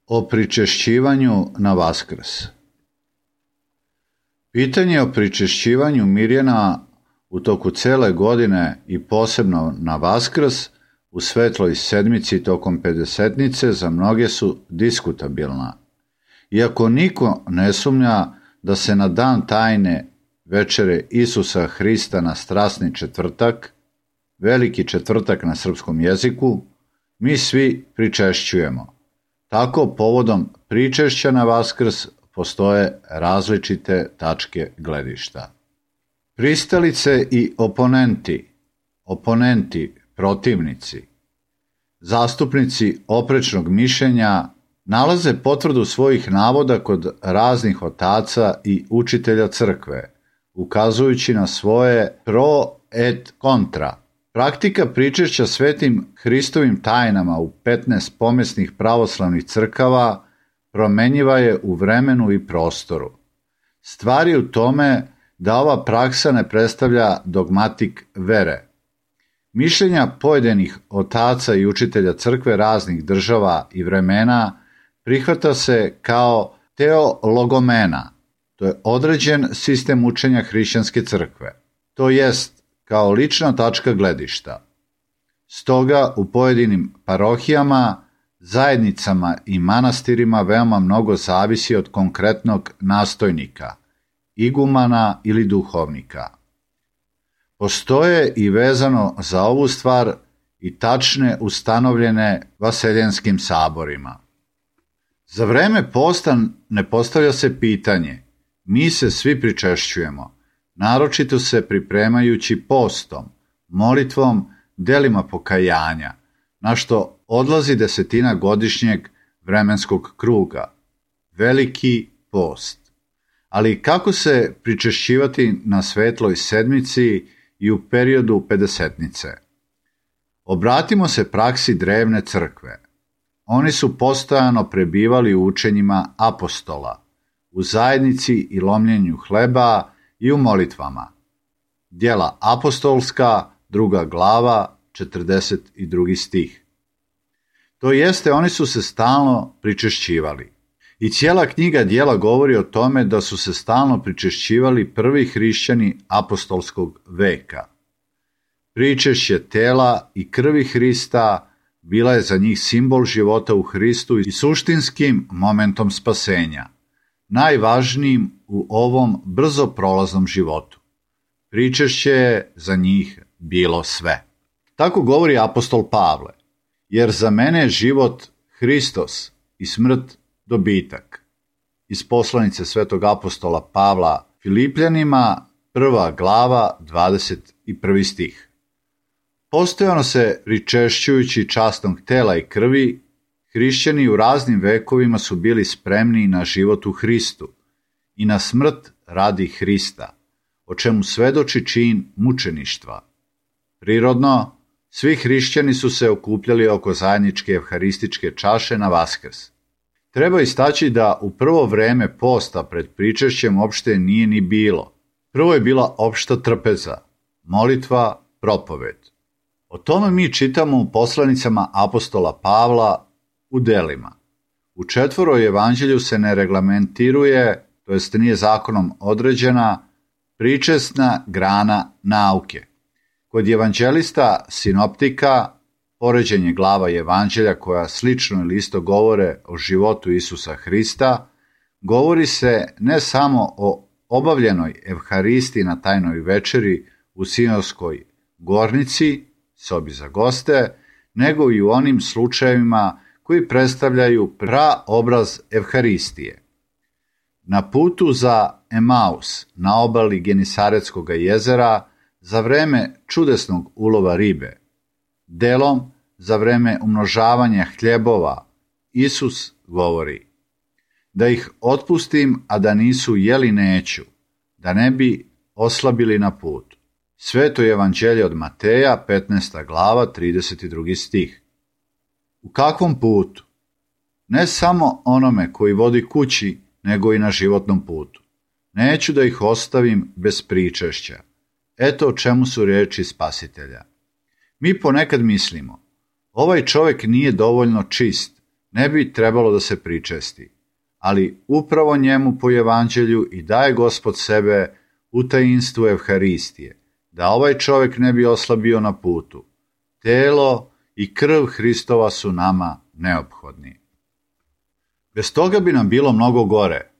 O pričešćivanju na Vaskrs. Pitanje o pričešćivanju Mirjana u toku cele godine i posebno na Vaskrs u svetloj sedmici tokom pedesetnice za mnoge su diskutabilna. Iako niko ne sumnja da se na dan tajne večere Isusa Hrista na strasni četvrtak, veliki četvrtak na srpskom jeziku, mi svi pričešćujemo. Tako, povodom pričešća na Vaskrs postoje različite tačke gledišta. Pristalice i oponenti, protivnici, zastupnici oprečnog mišljenja nalaze potvrdu svojih navoda kod raznih otaca i učitelja crkve, ukazujući na svoje pro et kontra. Praktika pričešća svetim Hristovim tajnama u 15 pomesnih pravoslavnih crkava promenjiva je u vremenu i prostoru. Stvar je u tome da ova praksa ne predstavlja dogmatik vere. Mišljenja pojedinih otaca i učitelja crkve raznih država i vremena prihvata se kao teologomena, to je određen sistem učenja hrišćanske crkve, to jest kao lična tačka gledišta. Stoga u pojedinim parohijama, zajednicama i manastirima veoma mnogo zavisi od konkretnog nastojnika, igumana ili duhovnika. Postoje i vezano za ovu stvar i tačne ustanovljene vaseljenskim saborima. Za vreme posta ne postavlja se pitanje, mi se svi pričešćujemo, naročito se pripremajući postom, molitvom, delima pokajanja, na što odlazi 10 godišnjeg vremenskog kruga, veliki post. Ali kako se pričešćivati na svetloj sedmici i u periodu pedesetnice? Obratimo se praksi drevne crkve. Oni su postojano prebivali u učenjima apostola, u zajednici i lomljenju hleba i u molitvama. Djela apostolska, 2. glava, 42. stih. To jeste, oni su se stalno pričešćivali. I cijela knjiga Djela govori o tome da su se stalno pričešćivali prvi hrišćani apostolskog veka. Pričešće tela i krvi Hrista bila je za njih simbol života u Hristu i suštinskim momentom spasenja, najvažnijim u ovom brzo prolaznom životu. Pričešće je za njih bilo sve. Tako govori apostol Pavle, jer za mene je život Hristos i smrt dobitak. Iz poslanice svetog apostola Pavla Filipljanima, 1. glava, 21. stih. Postojano se pričešćujući časnog tela i krvi, hrišćani u raznim vekovima su bili spremni na život u Hristu i na smrt radi Hrista, o čemu svedoči čin mučeništva. Prirodno, svi hrišćani su se okupljali oko zajedničke evharističke čaše na Vaskrs. Treba istaći da u prvo vreme posta pred pričešćem opšte nije ni bilo. Prvo je bila opšta trpeza, molitva, propoved. O tome mi čitamo u poslanicama apostola Pavla u delima. U 4. evanđelju se ne reglamentiruje, to jest nije zakonom određena, pričesna grana nauke. Kod evanđelista sinoptika, poređenje glava evanđelja koja slično ili isto govore o životu Isusa Hrista, govori se ne samo o obavljenoj evharisti na tajnoj večeri u Sinojskoj gornici, sobi za goste, nego i u onim slučajevima koji predstavljaju praobraz evharistije. Na putu za Emaus, na obali Genisaretskog jezera, za vreme čudesnog ulova ribe, delom za vreme umnožavanja hljebova, Isus govori: da ih otpustim, a da nisu jeli neću, da ne bi oslabili na putu. Sveto evanđelje od Mateja, 15. glava, 32. stih. U kakvom putu? Ne samo onome koji vodi kući, nego i na životnom putu. Neću da ih ostavim bez pričešća. Eto o čemu su riječi Spasitelja. Mi ponekad mislimo, ovaj čovjek nije dovoljno čist, ne bi trebalo da se pričesti, ali upravo njemu po evanđelju i daje Gospod sebe u tajinstvu evharistije, da ovaj čovjek ne bi oslabio na putu. Telo i krv Hristova su nama neophodni. Bez toga bi nam bilo mnogo gore.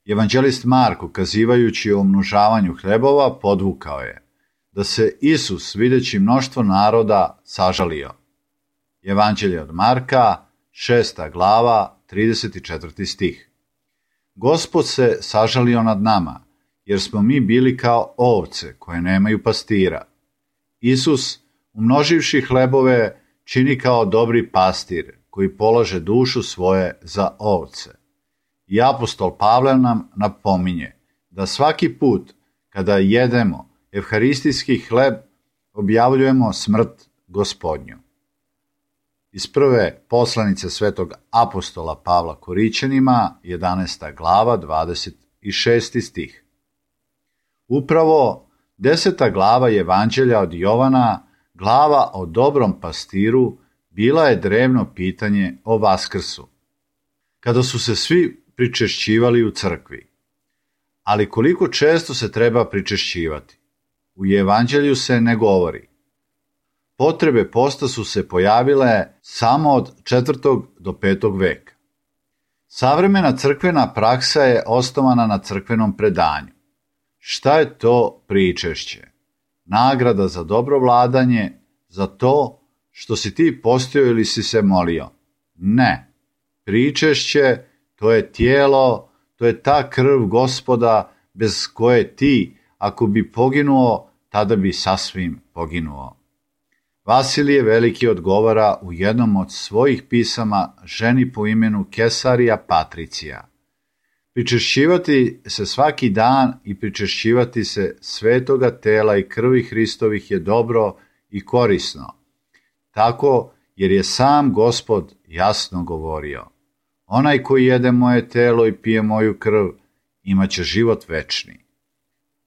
Evanđelist Mark, ukazivajući o umnožavanju hlebova, podvukao je da se Isus, videći mnoštvo naroda, sažalio. Evanđelje od Marka, 6. glava, 34. stih. Gospod se sažalio nad nama, jer smo mi bili kao ovce koje nemaju pastira. Isus, umnoživši hlebove, čini kao dobri pastir koji polaže dušu svoje za ovce. I apostol Pavle nam napominje da svaki put kada jedemo evharistijski hleb, objavljujemo smrt Gospodnju. Iz prve poslanice svetog apostola Pavla Korićanima, 11. glava, 26. stih. Upravo 10. glava Evanđelja od Jovana, glava o dobrom pastiru, bila je drevno pitanje o Vaskrsu, kada su se svi pričešćivali u crkvi. Ali koliko često se treba pričešćivati? U Evanđelju se ne govori. Potrebe posta su se pojavile samo od 4. do 5. veka. Savremena crkvena praksa je osnovana na crkvenom predanju. Šta je to pričešće? Nagrada za dobro vladanje, za to što si ti postio ili si se molio? Ne. Pričešće, to je tijelo, to je ta krv Gospoda bez koje ti, ako bi poginuo, tada bi sasvim poginuo. Vasilije Veliki odgovara u jednom od svojih pisama ženi po imenu Kesarija Patricija. Pričešćivati se svaki dan i pričešćivati se svetoga tela i krvi Hristovih je dobro i korisno. Tako jer je sam Gospod jasno govorio: onaj koji jede moje telo i pije moju krv, imaće život večni.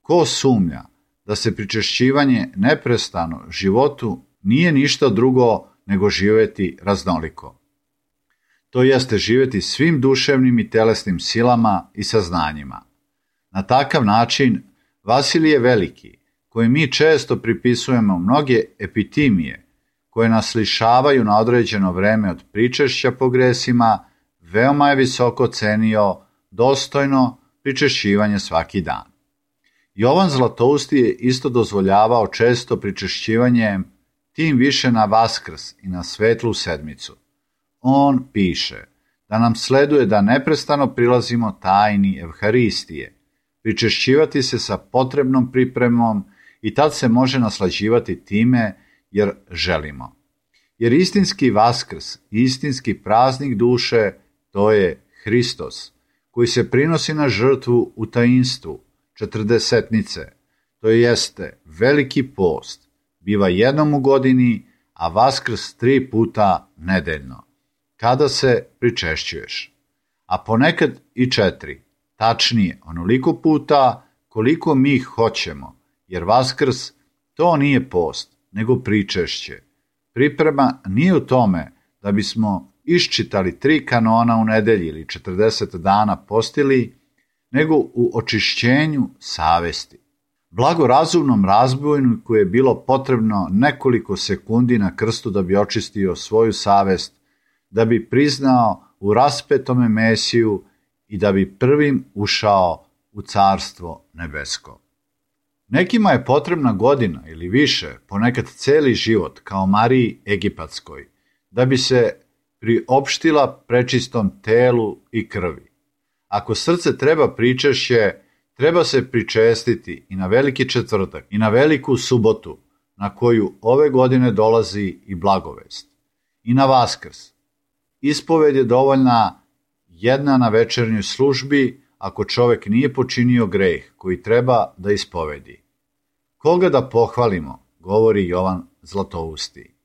Ko sumnja da se pričešćivanje neprestano životu nije ništa drugo nego živjeti raznoliko? to jeste živjeti svim duševnim i telesnim silama i saznanjima. Na takav način Vasilije Veliki, koji mi često pripisujemo mnoge epitimije, koje nas lišavaju na određeno vreme od pričešća po gresima, veoma je visoko cenio dostojno pričešćivanje svaki dan. Jovan Zlatousti je isto dozvoljavao često pričešćivanje, tim više na Vaskrs i na Svetlu sedmicu. On piše da nam sleduje da neprestano prilazimo tajni Evharistije, pričešćivati se sa potrebnom pripremom i tad se može naslađivati time jer želimo. Jer istinski Vaskrs i istinski praznik duše to je Hristos, koji se prinosi na žrtvu u tajinstvu, četrdesetnice, to jeste veliki post, biva jednom u godini, a Vaskrs 3 puta nedeljno, kada se pričešćuješ. A ponekad i 4, tačnije onoliko puta koliko mi hoćemo, jer Vaskrs to nije post, nego pričešće. Priprema nije u tome da bismo iščitali 3 kanona u nedelji ili 40 dana postili, nego u očišćenju savesti. Blagorazumnom razbojniku je bilo potrebno nekoliko sekundi na krstu da bi očistio svoju savest, da bi priznao u raspetome Mesiju i da bi prvim ušao u Carstvo nebesko. Nekima je potrebna godina ili više, ponekad celi život, kao Mariji Egipatskoj, da bi se priopštila prečistom telu i krvi. Ako srce treba pričešće, treba se pričestiti i na Veliki četvrtak i na Veliku subotu, na koju ove godine dolazi i blagovest. I na Vaskrs. Ispoved je dovoljna jedna na večernjoj službi ako čovek nije počinio greh koji treba da ispovedi. Koga da pohvalimo, govori Jovan Zlatousti.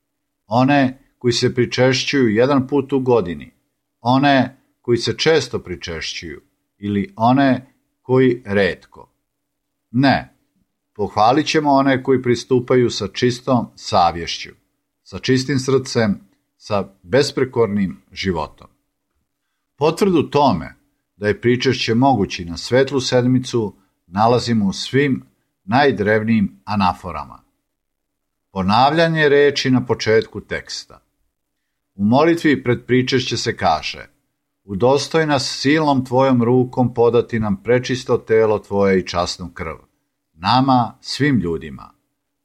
One koji se pričešćuju jedan put u godini, one koji se često pričešćuju ili one koji retko. Ne, pohvalit ćemo one koji pristupaju sa čistom savješću, sa čistim srcem, sa besprekornim životom. Potvrdu tome da je pričešće mogući na Svetlu sedmicu nalazimo u svim najdrevnijim anaforama. Ponavljanje reči na početku teksta. U molitvi pred pričešće se kaže: udostoj nas silnom tvojom rukom podati nam prečisto telo tvoje i časnu krv, nama, svim ljudima.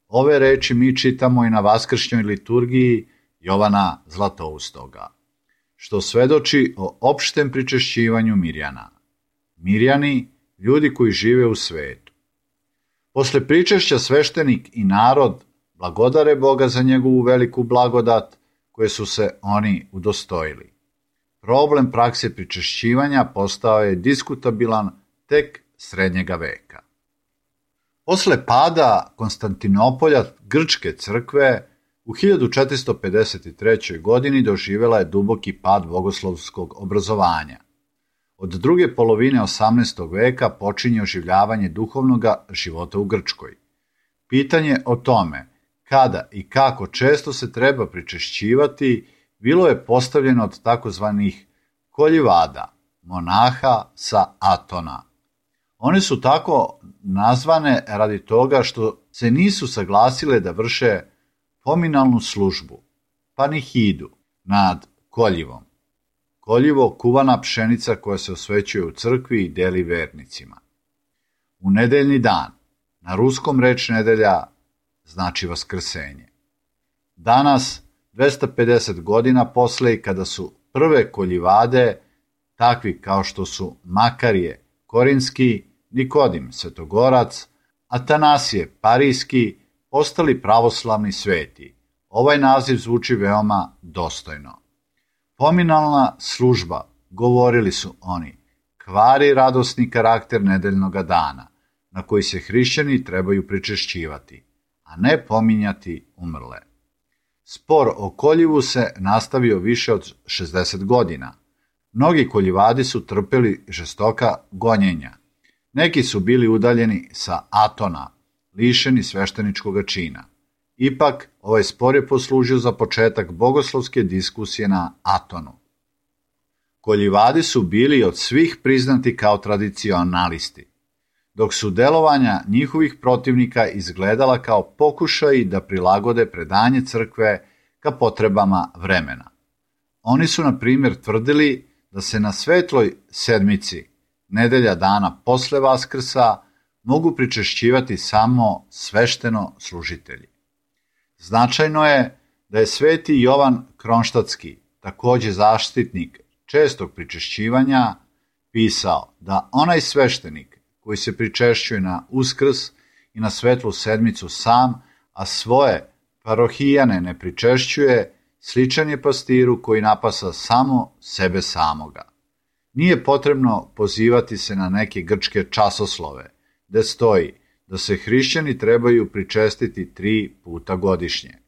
Ove reči mi čitamo i na vaskršnjoj liturgiji Jovana Zlatoustoga, što svedoči o opštem pričešćivanju Mirjana. Mirjani, ljudi koji žive u svetu. Posle pričešća sveštenik i narod blagodare Boga za njegovu veliku blagodat koje su se oni udostojili. Problem prakse pričešćivanja postao je diskutabilan tek srednjega veka. Posle pada Konstantinopolja Grčke crkve u 1453. godini doživjela je duboki pad bogoslovskog obrazovanja. Od druge polovine 18. veka počinje oživljavanje duhovnog života u Grčkoj. Pitanje o tome kada i kako često se treba pričešćivati bilo je postavljeno od takozvanih koljivada, monaha sa Atona. One su tako nazvane radi toga što se nisu saglasile da vrše pominalnu službu, panihidu, nad koljivom. Koljivo, kuvana pšenica koja se osvećuje u crkvi i deli vernicima. U nedeljni dan, na ruskom reč nedelja znači vaskrsenje. Danas, 250 godina posle i kada su prve koljivade, takvi kao što su Makarije Korinski, Nikodim Svetogorac, Atanasije Parijski, postali pravoslavni sveti. Ovaj naziv zvuči veoma dostojno. Pominalna služba, govorili su oni, kvari radosni karakter nedeljnog dana, na koji se hrišćani trebaju pričešćivati, a ne pominjati umrle. Spor o koljivu se nastavio više od 60 godina. Mnogi koljivadi su trpeli žestoka gonjenja. Neki su bili udaljeni sa Atona, lišeni svešteničkog čina. Ipak, ovaj spor je poslužio za početak bogoslovske diskusije na Atonu. Koljivadi su bili od svih priznati kao tradicionalisti, dok su delovanja njihovih protivnika izgledala kao pokušaji da prilagode predanje crkve ka potrebama vremena. Oni su, na primjer, tvrdili da se na svetloj sedmici, nedelja dana posle Vaskrsa, mogu pričešćivati samo svešteno služitelji. Značajno je da je sveti Jovan Kronštatski, takođe zaštitnik čestog pričešćivanja, pisao da onaj sveštenik koji se pričešćuje na Uskrs i na svetlu sedmicu sam, a svoje parohijane ne pričešćuje, sličan je pastiru koji napasa samo sebe samoga. Nije potrebno pozivati se na neke grčke časoslove, gde stoji da se hrišćani trebaju pričestiti 3 puta godišnje.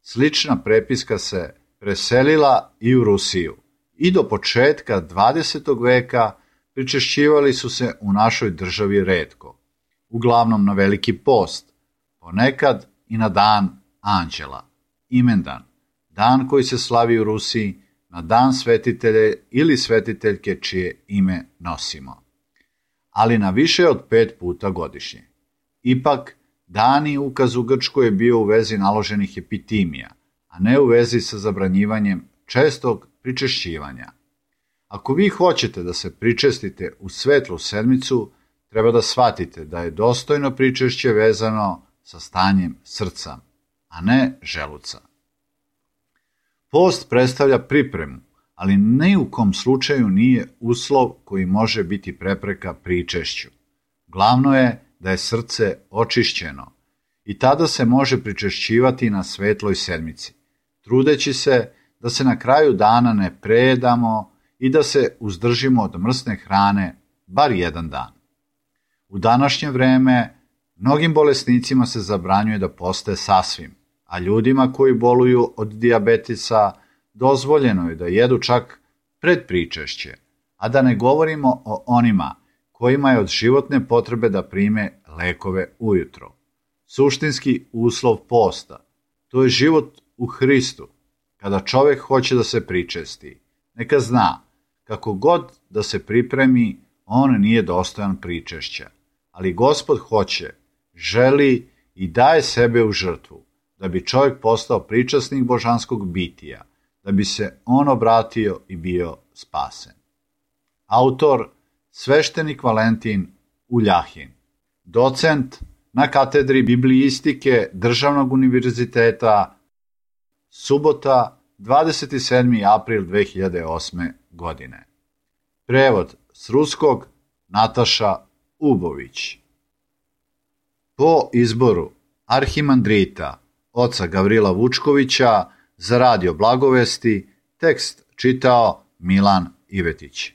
Slična prepiska se preselila i u Rusiju i do početka 20. veka pričešćivali su se u našoj državi retko, uglavnom na Veliki post, ponekad i na dan Anđela, imendan, dan koji se slavi u Rusiji na dan svetitelje ili svetiteljke čije ime nosimo, ali na više od 5 puta godišnje. Ipak, dani ukaz u Grčkoj je bio u vezi naloženih epitimija, a ne u vezi sa zabranjivanjem čestog pričešćivanja. Ako vi hoćete da se pričestite u svetlu sedmicu, treba da shvatite da je dostojno pričešće vezano sa stanjem srca, a ne želuca. Post predstavlja pripremu, ali ni u kom slučaju nije uslov koji može biti prepreka pričešću. Glavno je da je srce očišćeno i tada se može pričešćivati na svetloj sedmici, trudeći se da se na kraju dana ne prejedamo i da se uzdržimo od mrsne hrane bar jedan dan. U današnje vreme mnogim bolesnicima se zabranjuje da poste sasvim, a ljudima koji boluju od dijabetisa dozvoljeno je da jedu čak pred pričešće, a da ne govorimo o onima kojima je od životne potrebe da prime lekove ujutro. Suštinski uslov posta, to je život u Hristu. Kada čovjek hoće da se pričesti, neka zna, kako god da se pripremi, on nije dostojan pričešća. Ali Gospod hoće, želi i daje sebe u žrtvu, da bi čovjek postao pričasnik božanskog bitija, da bi se on obratio i bio spasen. Autor sveštenik Valentin Uljahin, docent na katedri biblijistike Državnog univerziteta, subota, 27. april 2008. godine. Prevod s ruskog Nataša Ubović. Po izboru arhimandrita oca Gavrila Vučkovića za Radio Blagovesti tekst čitao Milan Ivetić.